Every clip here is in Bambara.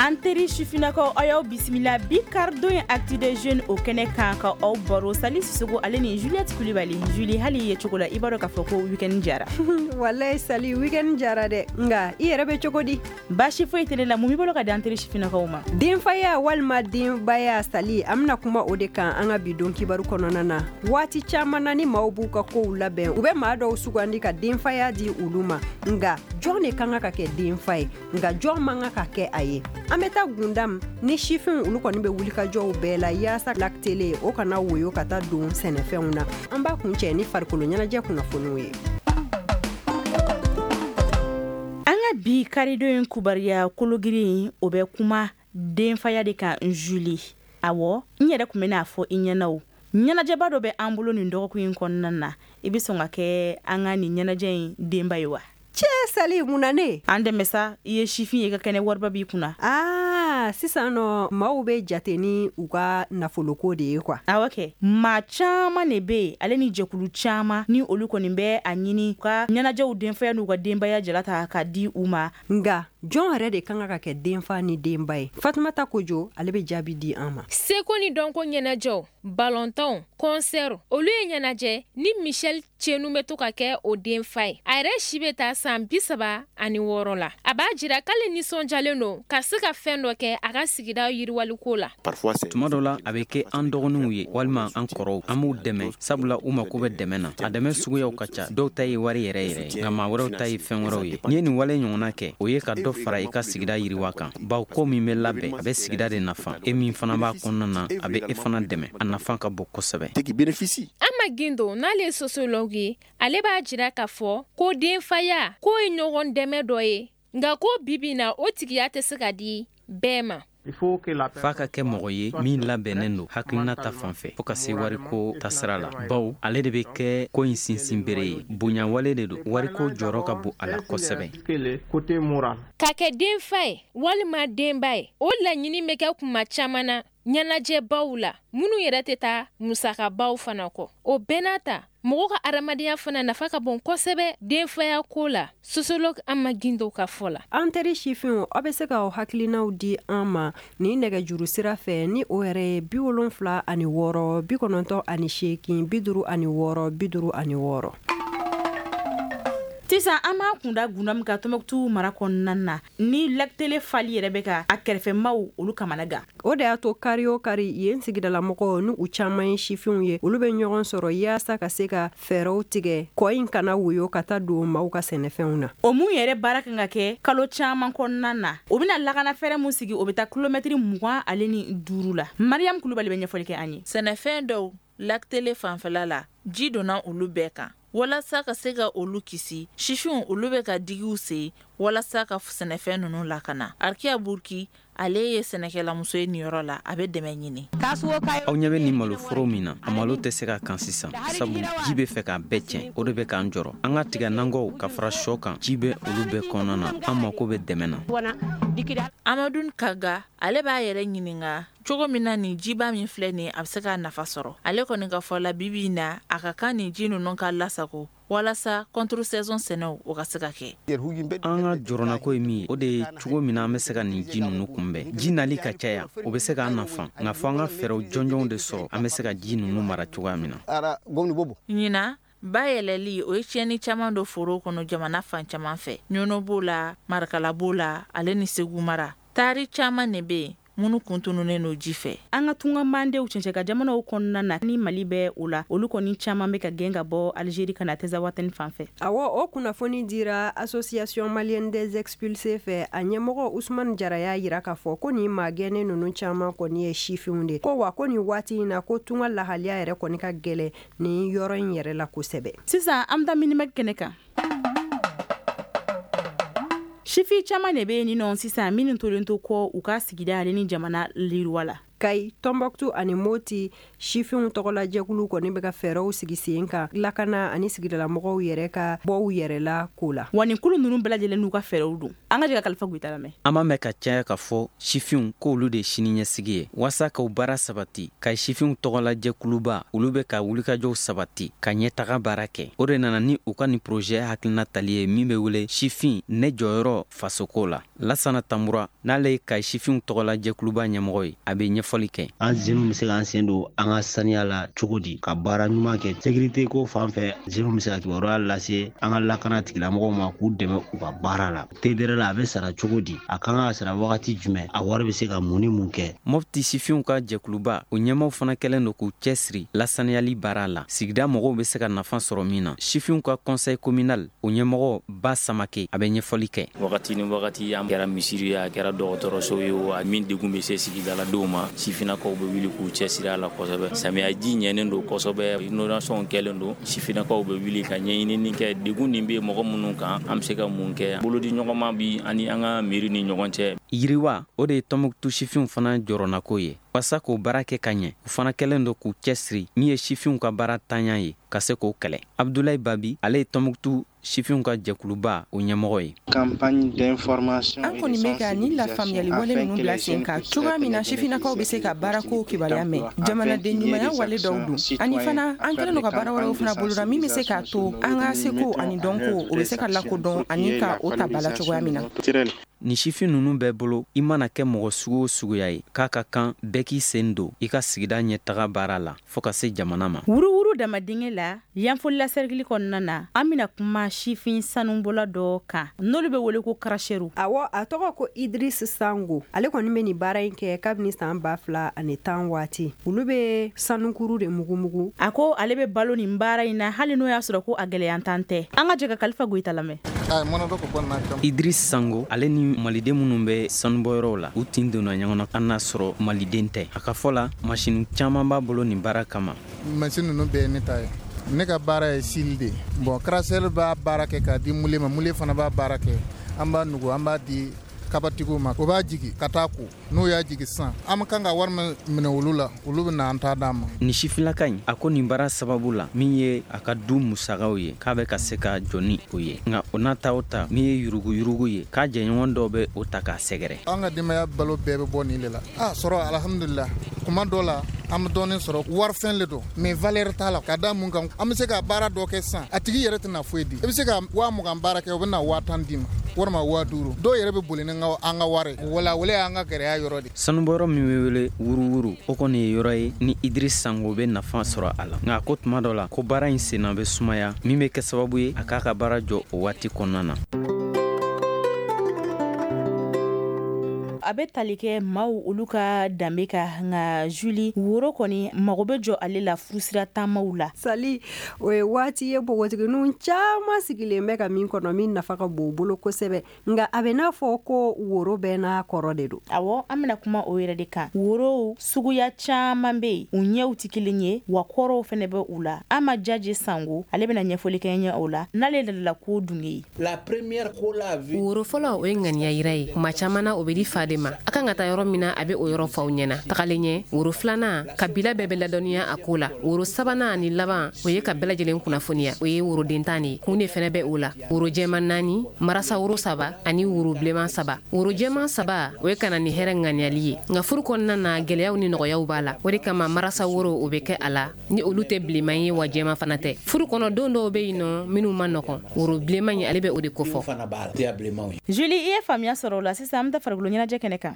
An teri sifinnakaw, aw y'aw bisimila bi karidon ye Actu des jeunes o kɛnɛ kan ka aw baro. Sali Sisogo ale ni Juliette Kulibali. Julie, hali i ye cogo la, i b'a dɔn k'a fɔ ko week-end jara. Walayi Sali, week-end jara dɛ, nka i yɛrɛ bɛ cogo di? Baasi foyi tɛ ne la. Mun b'i bolo ka di an teri sifinnakaw ma? Denfaya walima denbaya, Sali, an bɛna kuma o de kan an ka bi don kibaru kɔnɔna na. Waati caman na, ni maaw b'u ka kow labɛn, u bɛ maa dɔw sugandi ka denfaya di olu ma. Nka jɔn de kan ka kɛ denfa ye? Nka jɔn man kan ka kɛ a ye? An bɛ taa Gundam ni sifinw, olu kɔni bɛ wulikajɔw bɛɛ la yaasa Lac Télé o kana woyo ka taa don sɛnɛfɛnw na. An b'a kuncɛ ni farikolo ɲɛnajɛ kunnafoniw ye. An ka bi karidon in kubariya kologirin, o bɛ kuma denfaya de kan. Julie, awɔ, n yɛrɛ tun bɛn'a fɔ i ɲɛna o, ɲɛnajɛba dɔ bɛ an bolo nin dɔgɔkun in kɔnɔna na. I bɛ sɔn ka kɛ an ka nin ɲɛnajɛ in denba ye wa? Cɛ Sali, mun na ne? An dɛmɛ sa, i ye sifin ye, i ka kɛnɛ, wariba b'i kunna. Aa, sisan nɔ, maaw bɛ jate ni u ka nafoloko de ye quoi. Awɔ kɛ, maa caman de bɛ yen ale ni jɛkulu caman ni olu kɔni bɛ a ɲini ka ɲɛnajɛw denfaya n'u ka denbaya jala ta ka di u ma. Nka jɔn yɛrɛ de kan ka kɛ denfa ni denba ye? Fatumata Kojo, ale bɛ jaabi di an ma. Seko ni dɔnko ɲɛnajɛw, balɔntanw, kɔnsɛriw, olu ye ɲɛnajɛ ni Michel Cenu bɛ to ka kɛ o denfa ye. A yɛrɛ si bɛ taa san 36 la. A b'a jira k'ale nisɔndiyalen don ka se ka fɛn dɔ kɛ a ka sigida yiriwaliko la. Tuma dɔ la, a bɛ kɛ an dɔgɔninw ye walima an kɔrɔw. An b'u dɛmɛ sabula u mako bɛ dɛmɛ na. A dɛmɛ suguyaw ka ca. Dɔw ta ye wari yɛrɛ yɛrɛ ye, nka maa wɛrɛw ta ye fɛn wɛrɛw ye. N'i ye nin wale ɲɔgɔnna kɛ, o ye ka dɔ fara i ka sigida yiriwa kan, bawo ko min bɛ labɛn, a bɛ sigida de nafa. E min fana b'a kɔnɔna na, a bɛ e fana dɛmɛ. A nafa ka bon kosɛbɛ. Ama Gindo, n'ale ye sociologue ye, ale b'a jira k'a fɔ ko denfaya k'o ye ɲɔgɔn dɛmɛ dɔ ye, nka ko bibi na o tigiya tɛ se ka di bɛɛ ma. F'a ka kɛ mɔgɔ ye min labɛnnen don hakilina ta fan fɛ fo ka se wariko tasira la, bawo ale de bɛ kɛ ko in sinsinbere ye. Bonyawale de don, wariko jɔyɔrɔ ka bon a la kosɛbɛ. Ka kɛ denfa ye walima denba ye, o laɲini bɛ kɛ kuma caman na ɲɛnajɛbaw la minnu yɛrɛ tɛ taa musakabaw fana kɔ. O bɛɛ n'a ta, mɔgɔ ka adamadenya fana nafa ka bon kosɛbɛ denfaya ko la, sociologue Ama Gindo ka fɔ la. An teri sifinw, aw bɛ se k'aw hakilinaw di an ma ni nɛgɛjuru sira fɛ, ni o yɛrɛ ye 76 98 56 56. Sisan an b'a kunda Gundam ka Tɔnbɔkutu mara kɔnɔna na, ni Lac Télé fali yɛrɛ bɛ ka a kɛrɛfɛmaw olu kamana gan. O de y'a to kari o kari, yen sigidalamɔgɔw, ni u caman ye sifinw ye, olu bɛ ɲɔgɔn sɔrɔ yaasa ka se ka fɛɛrɛw tigɛ kɔ in kana woyo ka taa don maaw ka sɛnɛfɛnw na. O mun yɛrɛ baara kan ka kɛ kalo caman kɔnɔna na, o bɛna lakana fɛɛrɛ mun sigi, o bɛ taa kilomɛtiri 25 la. Mariam Kulubali bɛ ɲɛfɔli kɛ an ye. Sɛnɛfɛn dɔw Lac Télé fanfɛla la, ji donna olu bɛɛ kan. Walasa ka se ka olu kisi, sifinw olu bɛ ka digiw sen walasa ka sɛnɛfɛn ninnu lakana. Arikiya Burki, ale ye sɛnɛkɛlamuso ye nin yɔrɔ la, a bɛ dɛmɛ ɲini. Aw ɲɛ bɛ nin maloforo min na, a malo tɛ se ka kan sisan, sabu ji bɛ fɛ k'a bɛɛ tiɲɛ. O de bɛ k'an jɔrɔ. An ka tiga nankɔw ka fara shɔ kan, ji bɛ olu bɛɛ kɔnɔna na. An mako bɛ dɛmɛ na. Amadu Kaga, ale b'a yɛrɛ ɲininka cogo min na nin jiba min filɛ nin, a bɛ se k'a nafa sɔrɔ. Ale kɔni ka fɔ la, bibi in na, a ka kan nin ji ninnu ka lasago walasa contre saison sɛnɛw o ka se ka kɛ. An ka jɔrɔnako ye min ye, o de ye cogo min na an bɛ se ka nin ji ninnu kunbɛn. Ji nali ka caya, o bɛ se k'an nafa, nka fo an ka fɛɛrɛw jɔnjɔnw de sɔrɔ an bɛ se ka ji ninnu mara cogoya min na. Ɲinan, ba yɛlɛli o ye tiɲɛni caman don foro kɔnɔ jamana fan caman fɛ. Ɲɔnɔ b'o la, Marakala b'o la, ale ni Segu mara. Taari caman de bɛ yen minnu kun tununnen don ji fɛ. An ka tunga mandenw cɛncɛn jamanaw kɔnɔna na, ni Mali bɛ o la, olu kɔni caman bɛ ka gɛn ka bɔ Algérie ka na Tɛzawatɛni fan fɛ. Awɔ, o kunnafoni dira Association malienne des expulsés fɛ. A ɲɛmɔgɔ Usumani Jara y'a jira k'a fɔ ko nin maa gɛnnen ninnu caman kɔni ye sifinw de ko wa ko nin waati in na, ko tunga lahaliya yɛrɛ kɔni ka gɛlɛn nin yɔrɔ in yɛrɛ la kosɛbɛ. Sisan an bɛ taa minimɛki kɛnɛ kan. Sifin caman de bɛ yen nɔ sisan minnu tolen to kɔ u ka sigida ale ni jamana yiriwa la. Kayi, Tɔnbɔkutu ani Moti sifinw tɔgɔlajɛkulu kɔni bɛ ka fɛɛrɛw sigi sen kan lakana ani sigidalamɔgɔw yɛrɛ ka bɔ u yɛrɛ la ko la. Wa nin kulu ninnu bɛɛ lajɛlen n'u ka fɛɛrɛw don. An ka jɛ ka Kalifa Goyita lamɛn. An b'a mɛn ka caya k'a fɔ sifinw k'olu de ye siniɲɛsigi ye. Waasa k'o baara sabati, Kayi sifinw tɔgɔlajɛkuluba olu bɛ ka wulikajɔw sabati ka ɲɛtaga baara kɛ. O de nana ni u ka nin projet hakilina tali ye min bɛ wele sifin ne jɔyɔrɔ fasoko la. Lasana Tanbura, n'ale ye Kayi sifinw tɔgɔlajɛkuluba ɲɛmɔgɔ ye, a bɛ ɲɛfɔli kɛ. An jeunes bɛ se k'an sen don an ka saniya la cogo di ka baara ɲuman kɛ sécurité ko fan fɛ? Jeunes bɛ se ka kibaruya lase an ka lakana tigilamɔgɔw ma k'u dɛmɛ u ka baara la. TDR la, a bɛ sara cogo di? A kan ka sara wagati jumɛn? A wari bɛ se ka mun ni mun kɛ? Mɔpti sifinw ka jɛkuluba, o ɲɛmaw fana kɛlen don k'u cɛsiri lasaniyali baara la, sigida mɔgɔw bɛ se ka nafa sɔrɔ min na. Sifinw ka conseil communal, o ɲɛmɔgɔ Ba Samake, a bɛ ɲɛfɔli kɛ. Wagati ni wagati, an kɛra misiri ye, a kɛra dɔgɔtɔrɔso ye o, a min degun bɛ se sigidaladenw ma, sifinnakaw bɛ wuli k'u cɛsiri a la kosɛbɛ. Samiyaji ɲɛnen don kosɛbɛ, inondation kɛlen don, sifinnakaw bɛ wuli ka ɲɛɲinini kɛ degun nin bɛ mɔgɔ minnu kan, an bɛ se ka mun kɛ. Bolodi ɲɔgɔnma bi ani an ka miiri ni ɲɔgɔn cɛ. Yiriwa, o de ye Tɔnbukutu sifinw fana jɔrɔnako ye. Walasa k'o baara kɛ ka ɲɛ, u fana kɛlen don k'u cɛsiri min ye sifinw ka baara tanya ye, ka se k'o kɛlɛ. Abudulayi Babi, ale ye Tɔnbukutu sifinw ka jɛkuluba, o ɲɛmɔgɔ ye. An kɔni bɛ ka nin lafaamuyali wale ninnu bila sen kan cogoya min na sifinnakaw bɛ se ka baarako kibaruya mɛn, jamanaden ɲumanya wale dɔw don. Ani fana, an kɛlen don ka baara wɛrɛw fana boloda min bɛ se k'a to an ka seko ani dɔnko, o bɛ se ka lakodɔn ani ka o ta ba la cogoya min na. Nin sifin ninnu bɛɛ bolo, i mana kɛ mɔgɔ sugu o suguya ye, k'a ka kan bɛɛ k'i sen don i ka sigida ɲɛtaga baara la fɔɔ ka se jamana ma. Wuruwuru dama dingɛ la, Yanfolila sɛrikili kɔnɔna na, an bɛna kuma sifin sanubɔla dɔ kan n'olu bɛ wele ko karaseru. Awɔ, a tɔgɔ ko Idris Sango. Ale kɔni bɛ nin baara in kɛ kabini san 2010 waati. Olu bɛ sanukuru de mugumugu. A ko ale bɛ balo nin baara in na, hali n'o y'a sɔrɔ ko a gɛlɛyantan tɛ. An ka jɛ ka Kalifa Goyita lamɛn. Idris Sango, ale ni maliden minnu bɛ sanubɔyɔrɔw la, u tin donna ɲɔgɔn na, an n'a sɔrɔ maliden tɛ. A ka fɔ la, masini caman b'a bolo nin baara kama. Masini ninnu bɛɛ ye ne ta ye. Ne ka baara ye sili de. Bon, crasseur b'a baara kɛ k'a di moulé ma, moulé fana b'a baara kɛ. An b'a nugu, an b'a di kabatigiw ma, o b'a jigi ka taa ko. N'u y'a jigi sisan, an bɛ kan ka wari min minɛ olu la, olu bɛ na an ta d'an ma. Nin sifinlaka in, a ko nin baara sababu la, min ye a ka du musakaw ye, k'a bɛ ka se ka jɔ ni o ye. Nka o n'a ta o ta, min ye yuruguyurugu ye, k'a jɛɲɔgɔn dɔw bɛ o ta k'a sɛgɛrɛ. An ka denbaya balo bɛɛ bɛ bɔ nin de la. A sɔrɔ, alhamdulillah, kuma dɔ la an bɛ dɔɔnin sɔrɔ. Warifɛn le don, mais valeur t'a la. Ka da mun kan? An bɛ se ka baara dɔ kɛ sisan, a tigi yɛrɛ tɛna foyi di. I bɛ se ka 20 000 baara kɛ, o bɛ na 10 000 d'i ma walima 5 000. Dɔw yɛrɛ bɛ boli ni an ka wari. Wala wale y'an ka gɛlɛya yɔrɔ de. Sanubɔyɔrɔ min bɛ wele Wuruwuru, o kɔni ye yɔrɔ ye ni Idris Sango bɛ nafa sɔrɔ a la. Nka ko tuma dɔ la, ko baara in senna bɛ sumaya, min bɛ kɛ sababu ye a k'a ka baara jɔ o waati kɔnɔna na. A bɛ tali kɛ maaw olu ka danbe kan. Nka Juli, woro kɔni mago bɛ jɔ ale la furusira taamaw la. Sali, o ye waati ye npogotigininw caman sigilen bɛ ka min kɔnɔ, min nafa ka bon u bolo kosɛbɛ. Nka a bɛ n'a fɔ ko woro bɛɛ n'a kɔrɔ de don. Awɔ, an bɛna kuma o yɛrɛ de kan. Worow suguya caman bɛ yen, u ɲɛw tɛ kelen ye, wa kɔrɔw fana bɛ u la. An ma Jaje Sango, ale bɛna ɲɛfɔli kɛ ɲɛ o la, n'ale ladala ko dunge ye. Woro fɔlɔ, o ye ŋaniya yira ye. Kuma caman na, o bɛ di fa de ma. A kan ka taa yɔrɔ min na, a bɛ o yɔrɔ fɔ aw ɲɛna. Tagalen ɲɛ, woro filanan, kabila bɛɛ bɛ ladɔnniya a ko la. Woro sabanan ani laban, o ye ka bɛɛ lajɛlen kunnafoniya, o ye woroden 10 de ye. Kun de fɛnɛ bɛ o la: woro jɛman naani, marasa woro saba ani woro bilenman saba. Woro jɛman saba, o ye ka na ni hɛrɛ ŋaniyali ye. Nka furu kɔnɔna na, gɛlɛyaw ni nɔgɔyaw b'a la. O de kama marasa woro, o bɛ kɛ a la. Ni olu tɛ bilenman ye, wa jɛman fana tɛ. Furu kɔnɔ, don dɔw bɛ yen nɔ minnu ma nɔgɔn, woro bilenman ye, ale bɛ o de kofɔ. Juli, i ye faamuya sɔrɔ o la. Sisan an bɛ taa farikolo ɲɛnajɛ kɛnɛ kan.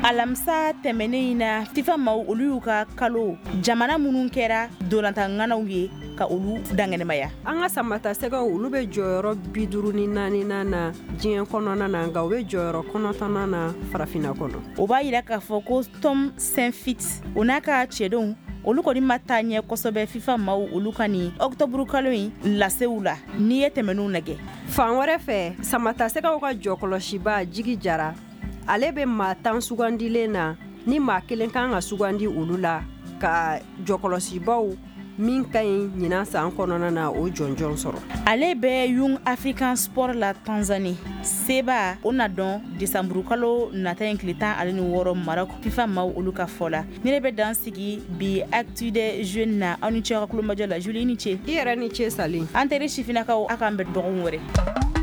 Alamisa tɛmɛnen in na, FIFA maaw olu y'u ka kalo jamana minnu kɛra dolantanŋanaw ye, ka olu dankɛnɛmaya. An ka samata sɛgɛw, olu bɛ jɔyɔrɔ 54nan na diɲɛ kɔnɔna na, nka u bɛ jɔyɔrɔ 9nan na farafinna kɔnɔ. O b'a yira k'a fɔ ko Tom Saintfiet, o n'a ka cɛdenw, olu kɔni ma taa ɲɛ kosɛbɛ FIFA maaw olu ka nin ɔkutɔburu kalo in lasew la, n'i ye tɛmɛnw lajɛ. Fan wɛrɛ fɛ, samata sɛgɛw ka jɔkɔlɔsiba Jigi Jara, ale bɛ maa 10 sugandilen na, ni maa kelen kan ka sugandi olu la ka jɔkɔlɔsibaw. Min ka ɲi ɲinan san kɔnɔna na, o jɔnjɔn sɔrɔ. Ale bɛ Young African Sport la Tanzanie. Seba o na dɔn desanburukalo nata in tile 16 Maroc, FIFA maaw olu ka fɔ la. Ne de bɛ dan sigi bi Actu des Jeunes na. Aw ni ce aw ka kulomajɔ la. Julie, i ni ce. I yɛrɛ ni ce, Sali. An teri sifinnakaw, aw k'an bɛn dɔgɔkun wɛrɛ.